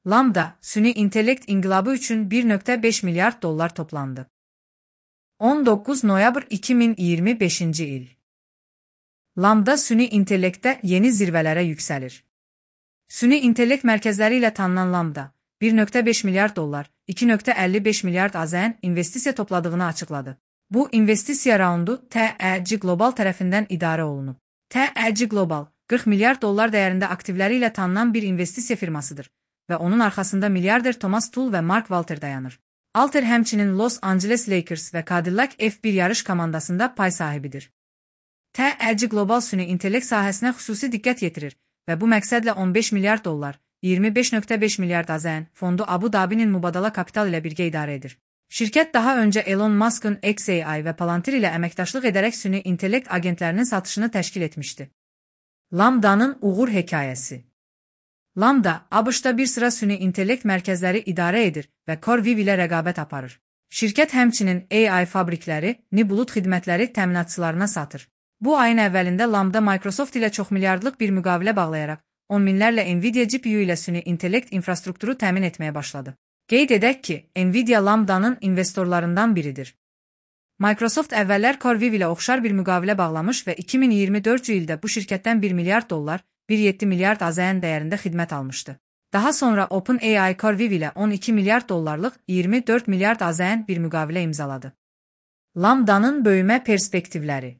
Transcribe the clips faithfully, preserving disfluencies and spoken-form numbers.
Lambda, süni intellekt inqilabı üçün bir nöqtə beş milyard dollar toplandı. on doqquz noyabr iki min iyirmi beşinci il. Lambda süni intellektdə yeni zirvələrə yüksəlir. Süni intellekt mərkəzləri ilə tanınan Lambda, bir nöqtə beş milyard dollar, iki nöqtə əlli beş milyard AZN investisiya topladığını açıqladı. Bu investisiya raundu T E C Global tərəfindən idarə olunub. T E C Global, qırx milyard dollar dəyərində aktivləri ilə tanınan bir investisiya firmasıdır və onun arxasında milyarder Thomas Tull və Mark Walter dayanır. Alter həmçinin Los Angeles Lakers və Cadillac F bir yarış komandasında pay sahibidir. T E C Global süni intellekt sahəsinə xüsusi diqqət yetirir və bu məqsədlə on beş milyard dollar, iyirmi beş nöqtə beş milyard AZN fondu Abu Dhabi'nin mübadala kapital ilə birgə idarə edir. Şirkət daha öncə Elon Musk'ın X A I və Palantir ilə əməkdaşlıq edərək süni intellekt agentlərinin satışını təşkil etmişdi. Lambda'nın uğur hekayəsi. Lambda, ABŞ-da bir sıra süni intellekt mərkəzləri idarə edir və CoreWeave ilə rəqabət aparır. Şirkət həmçinin A I fabrikləri, Nibulut xidmətləri təminatçılarına satır. Bu ayın əvvəlində Lambda Microsoft ilə çoxmilyardlıq bir müqavilə bağlayaraq, on minlərlə Nvidia G P U ilə süni intellekt infrastrukturu təmin etməyə başladı. Qeyd edək ki, Nvidia Lambda'nın investorlarından biridir. Microsoft əvvəllər CoreWeave ilə oxşar bir müqavilə bağlamış və iki min iyirmi dördüncü ildə bu şirkətdən bir milyard dollar, bir nöqtə yeddi milyard AZN dəyərində xidmət almışdı. Daha sonra OpenAI CoreWeave ilə on iki milyard dollarlıq, iyirmi dörd milyard AZN bir müqavilə imzaladı. Lambda'nın böyümə perspektivləri.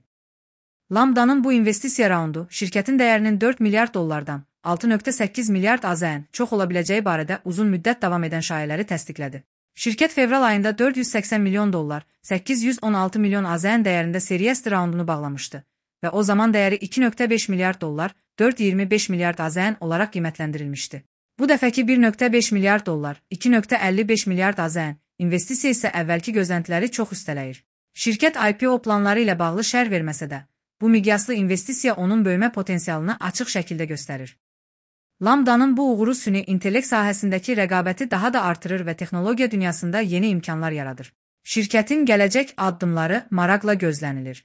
Lambda'nın bu investisiya raundu şirkətin dəyərinin dörd milyard dollardan altı nöqtə səkkiz milyard AZN çox ola biləcəyi barədə uzun müddət davam edən şayələri təsdiqlədi. Şirkət fevral ayında dörd yüz səksən milyon dollar, səkkiz yüz on altı milyon AZN dəyərində Series D raundunu bağlamışdı və o zaman dəyəri iki nöqtə beş milyard dollar, dörd nöqtə iyirmi beş milyard AZN olaraq qiymətləndirilmişdi. Bu dəfəki bir nöqtə beş milyard dollar, iki nöqtə əlli beş milyard AZN investisiya isə əvvəlki gözləntiləri çox üstələyir. Şirkət I P O planları ilə bağlı şərh verməsə də, bu miqyaslı investisiya onun böyümə potensialını açıq şəkildə göstərir. Lambda'nın bu uğuru süni intellekt sahəsindəki rəqabəti daha da artırır və texnologiya dünyasında yeni imkanlar yaradır. Şirkətin gələcək addımları maraqla gözlənilir.